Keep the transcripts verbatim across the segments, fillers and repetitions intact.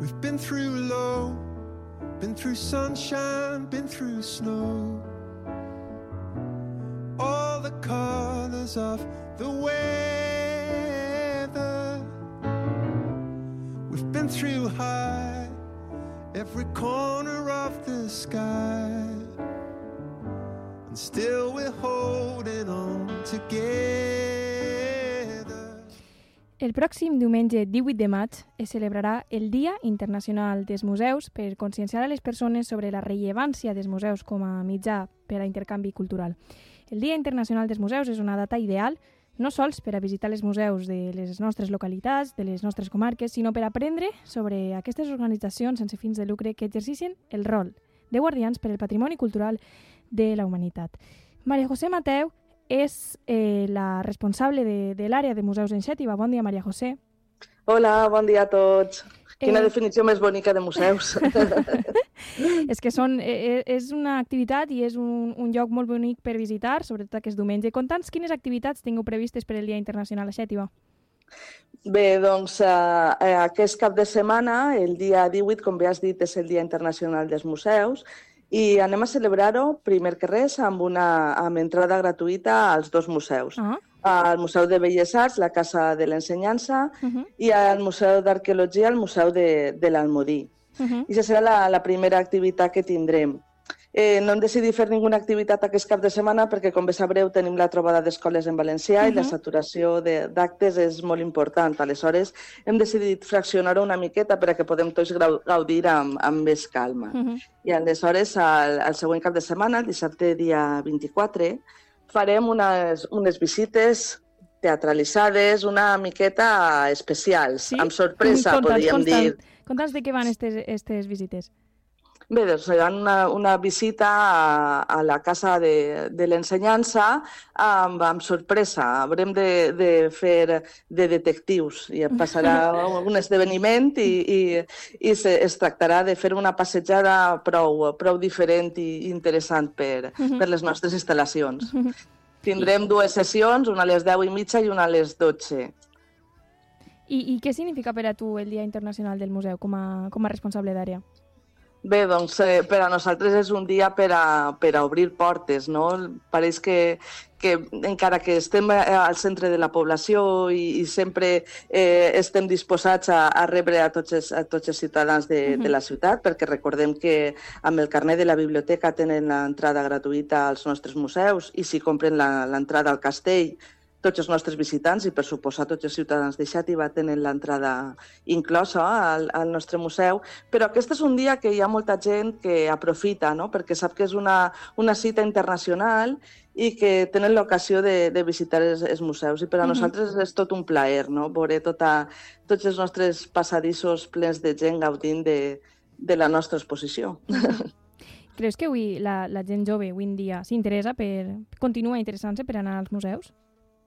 We've been through low, been through sunshine, been through snow. All the colors of the weather. We've been through high, every corner of the sky. And still we're holding on together. El pròxim diumenge divuit de maig es celebrarà el Dia Internacional dels Museus per conscienciar a les persones sobre la rellevància dels museus com a mitjà per a intercanvi cultural. El Dia Internacional dels Museus és una data ideal no sols per a visitar els museus de les nostres localitats, de les nostres comarques, sinó per aprendre sobre aquestes organitzacions sense fins de lucre que exerceixen el rol de guardians per al patrimoni cultural de la humanitat. Maria José Mateu és eh, la responsable de, de l'àrea de museus en Xàtiva. Bon dia, Maria José. Hola, bon dia a tots. Quina Eh... definició més bonica de museus. És que són, eh, és una activitat i és un, un lloc molt bonic per visitar, sobretot aquest diumenge. Conta'ns quines activitats tingueu previstes per el Dia Internacional a Xàtiva. Bé, doncs eh, aquest cap de setmana, el dia divuit, com bé has dit, és el Dia Internacional dels Museus i anem a celebrar-ho, primer que res, amb una amb entrada gratuïta als dos museus. Ah. Al Museu de Belles Arts, la Casa de l'Ensenyança, Uh-huh. i al Museu d'Arqueologia, el Museu de, de l'Almodí. Uh-huh. I aquesta serà la, la primera activitat que tindrem. Eh, no hem decidit fer ninguna activitat aquest cap de setmana perquè, com bé sabreu, tenim la trobada d'escoles en valencià uh-huh. i la saturació de- d'actes és molt important. Aleshores, hem decidit fraccionar-ho una miqueta perquè podem tots grau- gaudir amb, amb més calma. Uh-huh. I aleshores, al, al següent cap de setmana, el dissabte dia vint-i-quatre, farem unes, unes visites teatralitzades, una miqueta especials, Sí? amb sorpresa, Conta'ns, podríem conta'ns, dir. Conta'ns de què van aquestes visites. Bé, doncs hi ha una, una visita a, a la Casa de, de l'Ensenyança amb, amb sorpresa. Haurem de, de fer de detectius i passarà un esdeveniment i, i, i se, es tractarà de fer una passejada prou, prou diferent i interessant per, per les nostres instal·lacions. Tindrem dues sessions, una a les deu i mitja i una a les dotze. I, I què significa per a tu el Dia Internacional del Museu com a, com a responsable d'àrea? Bé, doncs eh, per a nosaltres és un dia per a, per a obrir portes, no? Pareix que, que encara que estem al centre de la població i, i sempre eh, estem disposats a, a rebre a tots els, a tots els ciutadans de, uh-huh. de la ciutat, perquè recordem que amb el carnet de la biblioteca tenen l'entrada gratuïta als nostres museus i si compren la- l'entrada al castell, tots els nostres visitants i, per suposar, tots els ciutadans de Xàtiva tenen l'entrada inclosa al, al nostre museu, però aquest és un dia que hi ha molta gent que aprofita, no? Perquè sap que és una, una cita internacional i que tenen l'ocasió de, de visitar els, els museus. I per a Mhm. nosaltres és tot un plaer, no? Veure tota, tots els nostres passadissos plens de gent gaudint de, de la nostra exposició. Creus que avui la, la gent jove, avui en dia, s'interessa per... continua interessant-se per anar als museus?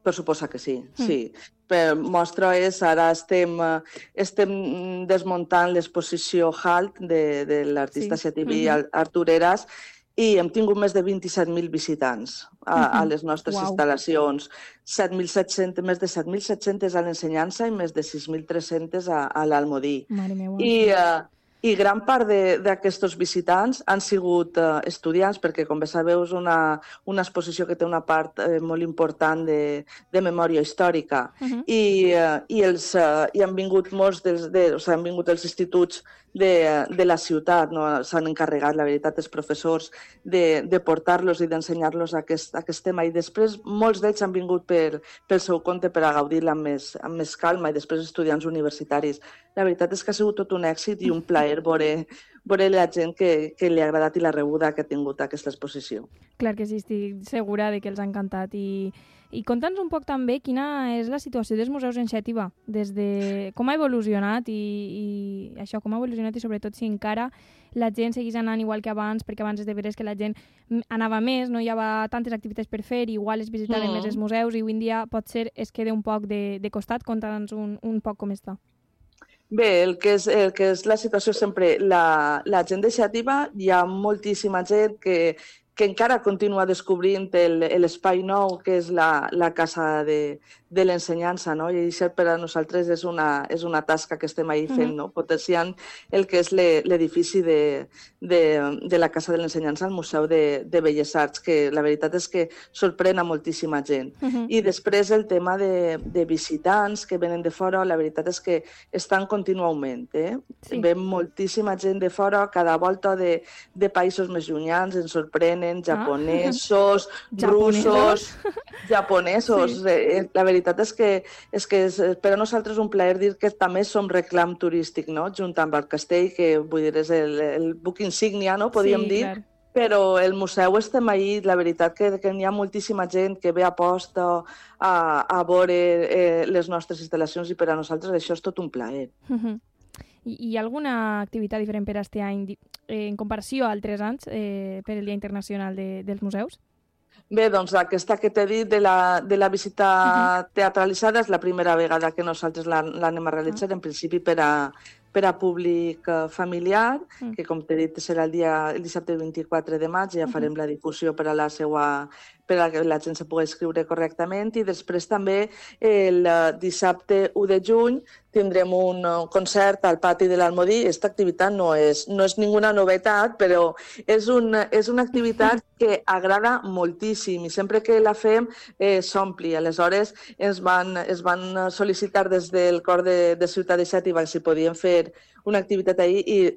Per suposar que sí, sí. Per mostra és, ara estem, eh, estem desmuntant l'exposició Halt de, de l'artista Sí. xativí Mhm. Artur Heras i hem tingut més de vint-i-set mil visitants a, a les nostres Uau. instal·lacions. set mil set-cents, més de set mil set-cents a l'Ensenyança i més de sis mil tres-cents a, a l'Almodí. Mare meva. I, eh, I gran part de- d'aquests visitants han sigut eh, estudiants, perquè, com bé sabeu, és una, una exposició que té una part eh, molt important de, de memòria històrica. Mhm. I, eh, i, els, eh, i han vingut molts dels, de, o sigui, han vingut els instituts de, de la ciutat, no? S'han encarregat, la veritat, els professors de, de portar-los i d'ensenyar-los aquest, aquest tema. I després molts d'ells han vingut per, pel seu compte per a gaudir-la amb, més, amb més calma i després estudiants universitaris. La veritat és que ha sigut tot un èxit i un plaer veure, veure la gent que, que li ha agradat i la rebuda que ha tingut aquesta exposició. Clar que sí, estic segura de que els ha encantat. I, i conta'ns un poc també quina és la situació dels museus en Xàtiva, des de com ha evolucionat i, i això, com ha evolucionat i sobretot si encara la gent segueix anant igual que abans, perquè abans és de veres que la gent mm, anava més, no hi havia tantes activitats per fer, igual es visitaven Mm. més els museus i avui en dia potser es queda un poc de, de costat. Conta'ns un, un poc com està. Bé, el que és, el que és la situació sempre, la, la gent de Xàtiva, hi ha moltíssima gent que, que encara continua descobrint l'espai nou, que és la, la casa de, de l'ensenyança, no? I això per a nosaltres és una, és una tasca que estem ahí fent, no? Potenciant el que és l'edifici de, de, de la Casa de l'Ensenyança al Museu de, de Belles Arts, que la veritat és que sorprèn a moltíssima gent. Uh -huh. I després el tema de, de visitants que venen de fora, la veritat és que està en continu augment. Eh? Sí. Ve moltíssima gent de fora, cada volta de, de països més llunyans, ens sorprenen, japonesos, ah. russos, japonesos. Sí. Eh, la veritat és que, és que és, per a nosaltres un plaer dir que també som reclam turístic, no? Junt amb el castell, que vull dir, és el, el buc insígnia, no? Podríem sí, dir. Clar. Però el museu estem ahí, la veritat que, que hi ha moltíssima gent que ve a posta a, a veure eh, les nostres instal·lacions i per a nosaltres això és tot un plaer. Uh -huh. I hi ha alguna activitat diferent per aquest any eh, en comparació a altres anys eh, per el Dia Internacional de, dels Museus? Bé, doncs aquesta que t'he dit de la, de la visita uh-huh. teatralitzada és la primera vegada que nosaltres l'anem a realitzar, uh-huh. en principi per a, per a públic familiar, uh-huh. que com t'he dit serà el, dia, el dissabte vint-i-quatre de maig, ja farem uh-huh. la difusió per a la seva, per a que la gent se pugui escriure correctament, i després també el dissabte u de juny tindrem un concert al pati de l'Almodí. Aquesta activitat no és, no és ninguna novetat, però és, un, és una activitat que agrada moltíssim i sempre que la fem eh, s'ompli. Aleshores ens van, es van sol·licitar des del cor de, de Ciutat de Xàtiva si podien fer una activitat ahir i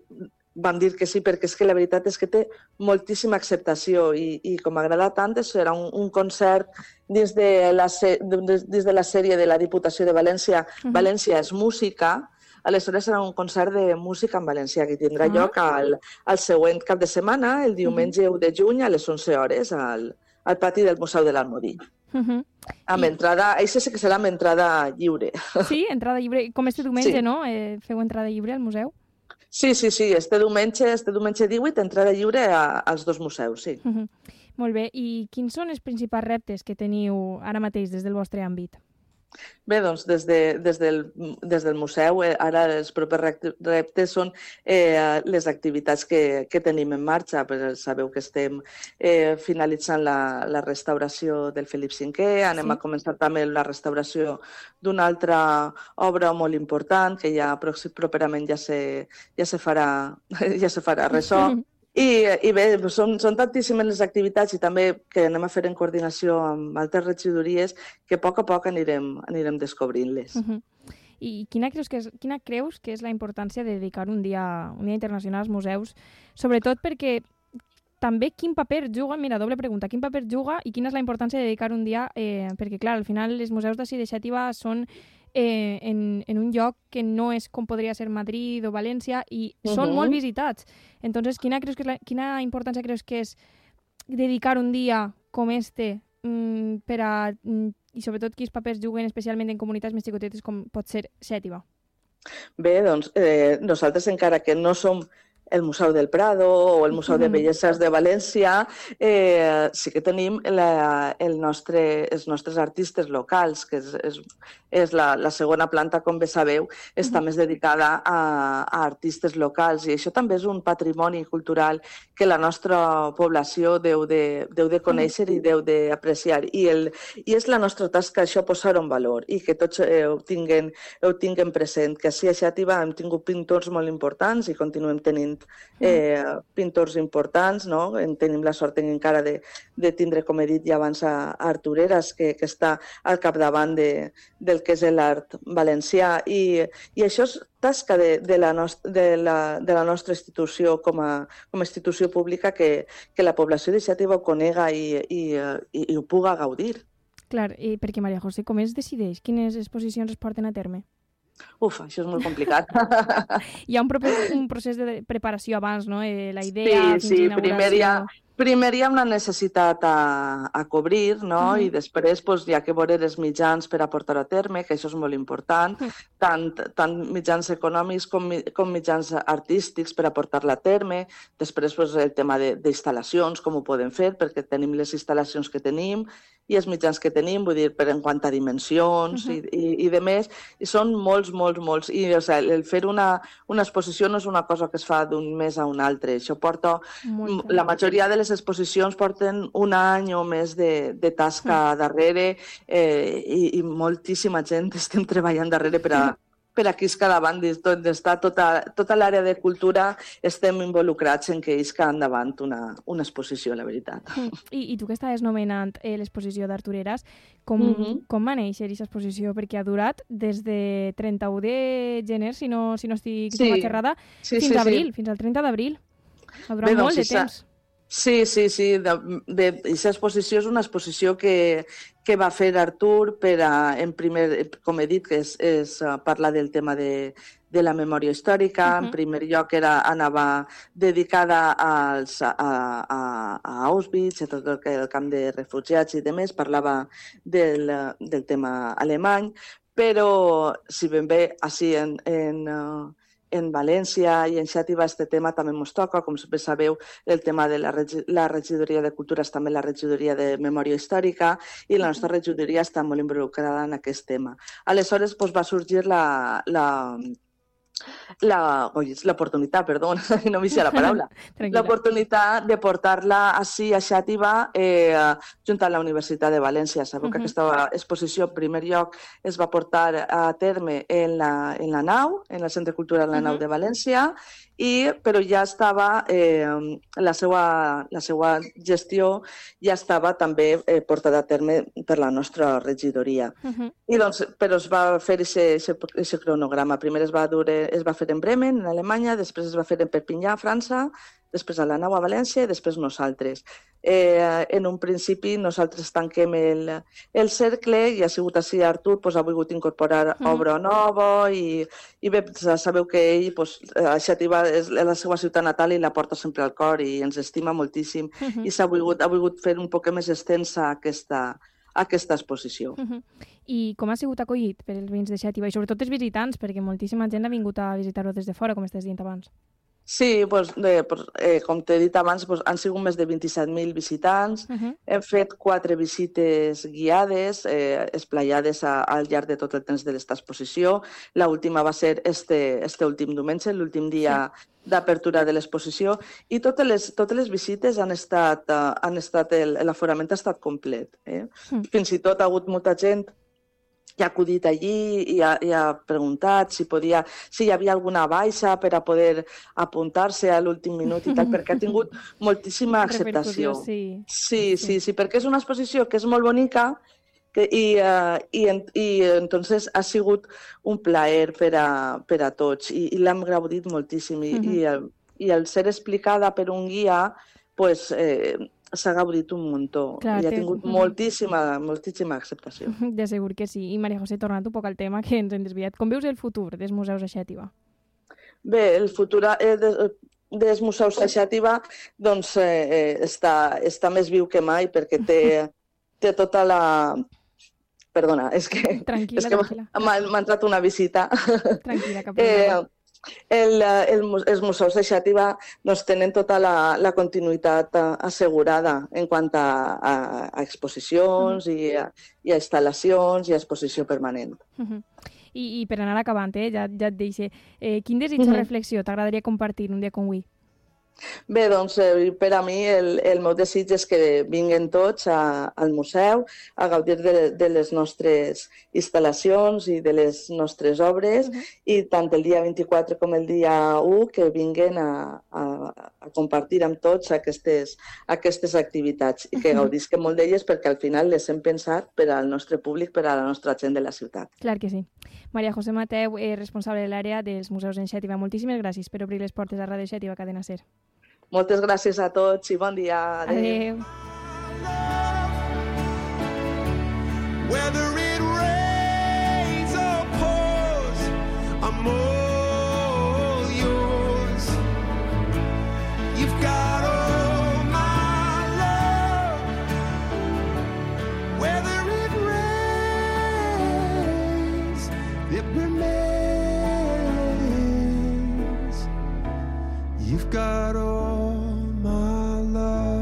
vam dir que sí, perquè és que la veritat és que té moltíssima acceptació i, i com agrada tant, serà un, un concert dins de, la, dins de la sèrie de la Diputació de València. Uh-huh. València és música, aleshores serà un concert de música en valencià que tindrà uh-huh. lloc al, al següent cap de setmana, el diumenge uh-huh. u de juny a les onze hores al, al pati del Museu de l'Almodí. Uh-huh. Amb I... entrada, això sí que serà amb entrada lliure. Sí, entrada lliure, com este diumenge, sí. no? Eh, feu entrada lliure al museu? Sí, sí, sí, este diumenge, este diumenge divuit, entrada lliure a, als dos museus, sí. Uh -huh. Molt bé, i quins són els principals reptes que teniu ara mateix des del vostre àmbit? Bé, doncs des, de, des, del, des del museu, eh, ara els propers reptes són eh, les activitats que, que tenim en marxa. Però sabeu que estem eh, finalitzant la, la restauració del Felip cinquè, anem sí. a començar també la restauració d'una altra obra molt important que ja properament ja se, ja se farà, ja se farà ressò. I, i bé, són, són tantíssimes les activitats i també que anem a fer en coordinació amb altres regidories que a poc a poc anirem, anirem descobrint-les. Uh-huh. I quina creus, que és, quina creus que és la importància de dedicar un dia, un dia internacional als museus? Sobretot perquè també quin paper juga, mira, doble pregunta, quin paper juga i quina és la importància de dedicar un dia, eh, perquè clar, al final els museus d'ací de Xàtiva són eh, en, en un lloc que no és com podria ser Madrid o València i uh-huh. són molt visitats. Entonces, quina, creus que és la, quina importància creus que és dedicar un dia com este mm, per a, mm, i sobretot quins papers juguen especialment en comunitats més xicotetes com pot ser Xàtiva? Bé, doncs eh, nosaltres encara que no som el Museu del Prado o el Museu de Belleses de València, eh, sí que tenim la, el nostre, els nostres artistes locals, que és, és, és la, la segona planta, com bé sabeu, està uh-huh. més dedicada a, a artistes locals, i això també és un patrimoni cultural que la nostra població deu de, deu de conèixer uh-huh. i deu d'apreciar. I, el, I és la nostra tasca això posar-ho en valor i que tots eh, ho, tinguen, ho tinguen present, que així a Xàtiva hem tingut pintors molt importants i continuem tenint Eh, pintors importants, no? Tenim la sort encara de, de tindre, com he dit ja abans, a, a Artur Heras, que, que està al capdavant de, del que és l'art valencià, i, i això és tasca de, de, la nost de, la, de la nostra institució com a, com a institució pública, que, que la població de Xàtiva ho conega i, i, i, i ho puga gaudir. Clar, i perquè Maria José, com es decideix? Quines exposicions es porten a terme? Uf, això és molt complicat. Hi ha un, un procés de preparació abans, no? Eh, la idea, sí, sí, primer hi ha, primer hi ha una necessitat a, a cobrir, no? Uh-huh. I després pues, hi ha que veure els mitjans per a portar a terme, que això és molt important, uh-huh. tant, tant mitjans econòmics com, com mitjans artístics per a portar-la a terme. Després pues, el tema d'instal·lacions, com ho podem fer, perquè tenim les instal·lacions que tenim i els mitjans que tenim, vull dir, per en quant a dimensions uh-huh. i, i, i de més, i són molts, molts, molts. I o sigui, el fer una, una exposició no és una cosa que es fa d'un mes a un altre. Això porta... Molt la majoria de les les exposicions porten un any o més de, de tasca darrere eh, i, i moltíssima gent estem treballant darrere per a, per aquí és cada banda, on està tota, tota l'àrea de cultura, estem involucrats en que isca endavant una, una exposició, la veritat. I, i tu que estaves nomenant eh, l'exposició d'Artureres, com, mm -hmm. com va néixer aquesta exposició? Perquè ha durat des de trenta-u de gener, si no, si no estic sí. errada, sí, fins sí, abril, sí. fins al trenta d'abril. Ha durat Bé, doncs, molt de temps. Sí, sí, sí. Aquesta exposició és una exposició que, que va fer Artur per a, en primer, com he dit, que és, és parlar del tema de, de la memòria històrica. Uh-huh. En primer lloc era, anava dedicada als, a, a, a Auschwitz, a tot el, el camp de refugiats i demés, parlava del, del tema alemany, però si ben bé així en, en en València i en Xàtiva este tema també ens toca, com bé sabeu, el tema de la, regi la regidoria de cultura és també la regidoria de memòria històrica i la nostra regidoria està molt involucrada en aquest tema. Aleshores doncs, va sorgir la... la l'oportunitat, perdó, no m'hi sé la paraula, l'oportunitat de portar-la així a Xàtiva eh, junt a la Universitat de València. Sabeu uh -huh. que aquesta exposició, en primer lloc, es va portar a terme en la, en la nau, en el Centre Cultural La Nau uh -huh. de València, i, però ja estava, eh, la, seva, la seva gestió ja estava també eh, portada a terme per la nostra regidoria. Uh -huh. I doncs, però es va fer aquest cronograma. Primer es va, dur, es va fer en Bremen, en Alemanya, després es va fer en Perpinyà, a França, després a la Nau a València i després nosaltres. Eh, en un principi nosaltres tanquem el, el cercle i ha sigut així Artur, pues, ha volgut incorporar mm. obra nova i, i bé, sabeu que ell, pues, a Xàtiva és la seva ciutat natal i la porta sempre al cor i ens estima moltíssim mm -hmm. i s'ha volgut, ha volgut fer un poc més extensa aquesta, aquesta exposició. Mm -hmm. I com ha sigut acollit per els veïns de Xàtiva i sobretot els visitants, perquè moltíssima gent ha vingut a visitar-ho des de fora, com estàs dient abans? Sí, pues, eh, pues, eh, com t'he dit abans, pues, han sigut més de vint-i-set mil visitants. Uh -huh. Hem fet quatre visites guiades, eh, esplayades a, al llarg de tot el temps de l'esta exposició. L'última va ser este, este últim diumenge, l'últim dia sí. d'apertura de l'exposició, i totes les, totes les visites han estat, uh, han estat l'aforament ha estat complet. Eh? Uh -huh. Fins i tot ha hagut molta gent i ha acudit allí i ha, i ha preguntat si, podia, si hi havia alguna baixa per a poder apuntar-se a l'últim minut i tal, perquè ha tingut moltíssima acceptació. Sí. Sí, sí, sí, perquè és una exposició que és molt bonica que, i, uh, i, i entonces ha sigut un plaer per a, per a tots i, i l'hem gaudit moltíssim i, uh-huh. i, el, i el ser explicada per un guia pues, eh, s'ha gaudit un muntó Clar, i ha tingut té... moltíssima, moltíssima acceptació. De segur que sí. I Maria José, tornant un poc al tema que ens hem desviat, com veus el futur dels museus a Xàtiva? Bé, el futur eh, de, dels museus a Xàtiva doncs, eh, està, està més viu que mai perquè té, té tota la... Perdona, és que, tranquil·la, és que m'ha entrat una visita. Tranquil·la, cap problema. Eh, El, el, els museus de Xàtiva doncs, tenen tota la, la continuïtat assegurada en quant a, a, a exposicions mm-hmm. i, a, i a instal·lacions i a exposició permanent. Mm-hmm. I, I per anar acabant, eh, ja, ja et deixo, eh, quin desig mm-hmm. o reflexió t'agradaria compartir un dia com avui? Bé, doncs eh, per a mi el, el meu desig és que vinguen tots a, al museu a gaudir de, de les nostres instal·lacions i de les nostres obres uh-huh. i tant el dia vint-i-quatre com el dia u que vinguen a, a, a compartir amb tots aquestes, aquestes activitats i que uh-huh. gaudisquen molt d'elles perquè al final les hem pensat per al nostre públic, per a la nostra gent de la ciutat. Clar que sí. Maria José Mateu, eh, responsable de l'àrea dels museus en Xàtiva. Moltíssimes gràcies per obrir les portes a Ràdio Xàtiva Cadena Ser. Moltes gràcies a tots i bon dia. Adéu. Adéu. Whether it rains or pours, I'm all yours. You've got all my love. Whether it rains, it remains. You've got all my love.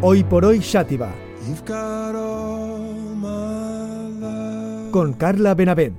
Hoy por hoy Xàtiva, You've got all my love. con Carla Benavent.